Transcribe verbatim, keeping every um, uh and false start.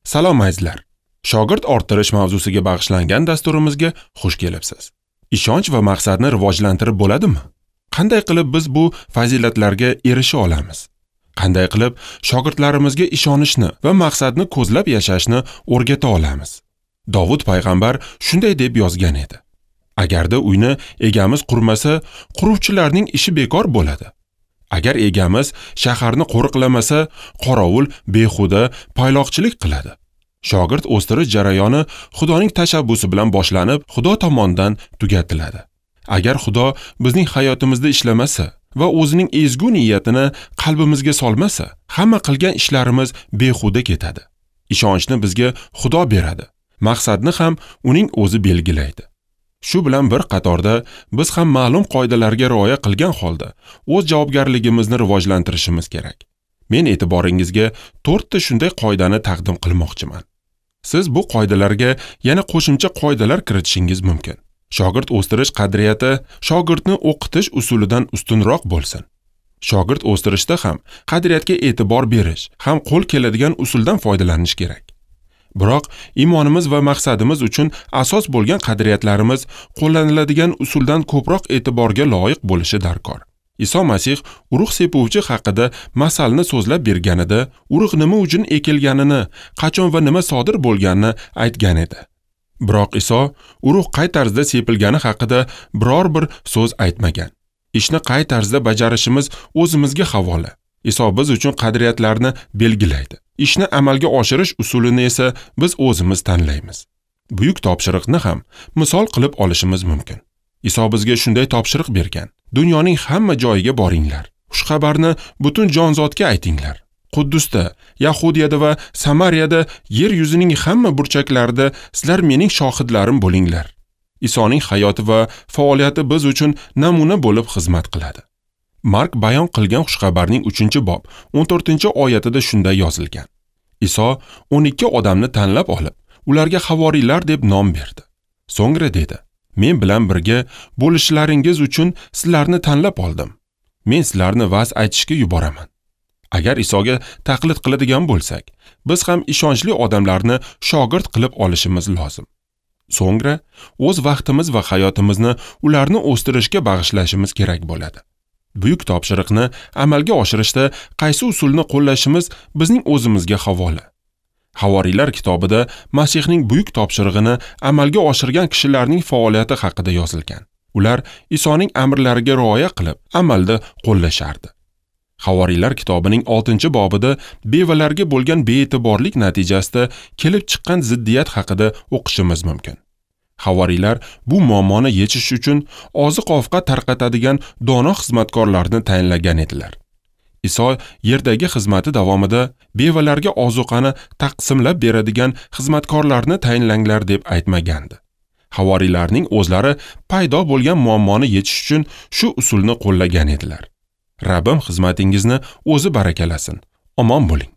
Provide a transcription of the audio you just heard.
Salom azizlar. Shogird orttirish mavzusiga bag'ishlangan dasturimizga xush kelibsiz. Ishonch va maqsadni rivojlantirib bo'ladimi? Qanday qilib biz bu fazilatlarga erisha olamiz? Qanday qilib shogirdlarimizga ishonishni va maqsadni ko'zlab yashashni o'rgata olamiz? Dovud payg'ambar shunday deb yozgan edi: Agarda uyni egamiz qurmasa, quruvchilarning ishi bekor bo'ladi. Agar egamiz shaharni qo'riqlamasa, qorovul behuda payloqchilik qiladi. Shogird o'stirish jarayoni Xudoning tashabbusi bilan boshlanib, Xudo tomonidan tugatiladi. Agar Xudo bizning hayotimizda ishlamasa va o'zining ezgu niyatini qalbimizga solmasa, hamma qilgan ishlarimiz behuda ketadi. Ishonchni bizga Xudo beradi. Maqsadni ham uning o'zi belgilaydi. Shu bilan bir qatorda biz ham ma'lum qoidalarga rioya qilgan holda o'z javobgarligimizni rivojlantirishimiz kerak. Men e'tiboringizga to'rtta shunday qoidani taqdim qilmoqchiman. Siz bu qoidalarga yana qo'shimcha qoidalar kiritishingiz mumkin. Shogird o'stirish qadriyati shogirdni o'qitish usulidan ustunroq bo'lsin. Shogird o'stirishda ham qadriyatga e'tibor berish, ham qo'l keladigan usuldan foydalanish kerak. Biroq iymonimiz va maqsadimiz uchun asos bo'lgan qadriyatlarimiz qo'llaniladigan usuldan ko'proq e'tiborga loyiq bo'lishi darkor. Iso Masih urug' sepuvchi haqida masalni so'zlab berganida, urug' nima uchun ekilganini, qachon va nima sodir bo'lganini aytgan edi. Biroq Iso urug' qay tarzda sepilgani haqida biror bir so'z aytmagan. Ishni qay tarzda bajarishimiz o'zimizga havola. Iso biz uchun qadriyatlarni belgilaydi. Ishni amalga oshirish usulini esa biz o'zimiz tanlaymiz. Buyuk topshiriqni ham misol qilib olishimiz mumkin. Iso bizga shunday topshiriq bergan: Dunyoning hamma joyiga boringlar. Xushxabarni butun jonzotga aytinglar. Quddusda, Yahudiyada va Samariyada, yer yuzining hamma burchaklarida sizlar mening shohidlarim bo'linglar. Isoning hayoti va faoliyati biz uchun namuna bo'lib xizmat qiladi. Mark bayon qilgan xushxabarning uchinchi bob o'n to'rtinchi oyatida shunday yozilgan: Iso o'n ikki odamni tanlab olib, ularga havoriylar deb nom berdi. So'ngra dedi: Men bilan birga bo'lishlaringiz uchun sizlarni tanlab oldim. Men sizlarni va'z aytishga yuboraman. Agar Isoga taqlid qiladigan bo'lsak, biz ham ishonchli odamlarni shogird qilib olishimiz lozim. So'ngra o'z vaqtimiz va hayotimizni ularni o'stirishga bag'ishlashimiz kerak bo'ladi. Buyuk topshiriqni amalga oshirishda qaysi usulni qo'llashimiz bizning o'zimizga havola. Havoriylar kitobida Masihning buyuk topshirig'ini amalga oshirgan kishilarning faoliyati haqida yozilgan. Ular Isoning amrlariga rioya qilib, amalda qo'llashardi. Havoriylar kitobining oltinchi bobida bevalarga bo'lgan bee'tiborlik natijasida kelib chiqqan ziddiyat haqida o'qishimiz mumkin. Havoriylar bu muammoni yechish uchun oziq-ovqat tarqatadigan dono xizmatkorlarni tayinlagan edilar. Iso yerdagi xizmati davomida bevalarga ozuqani taqsimlab beradigan xizmatkorlarni tayinlanglar deb aytmagandi. Havoriylarning o'zlari paydo bo'lgan muammoni yechish uchun shu usulni qo'llagan edilar. Rabbim xizmatingizni o'zi barakalasin. Omon bo'ling.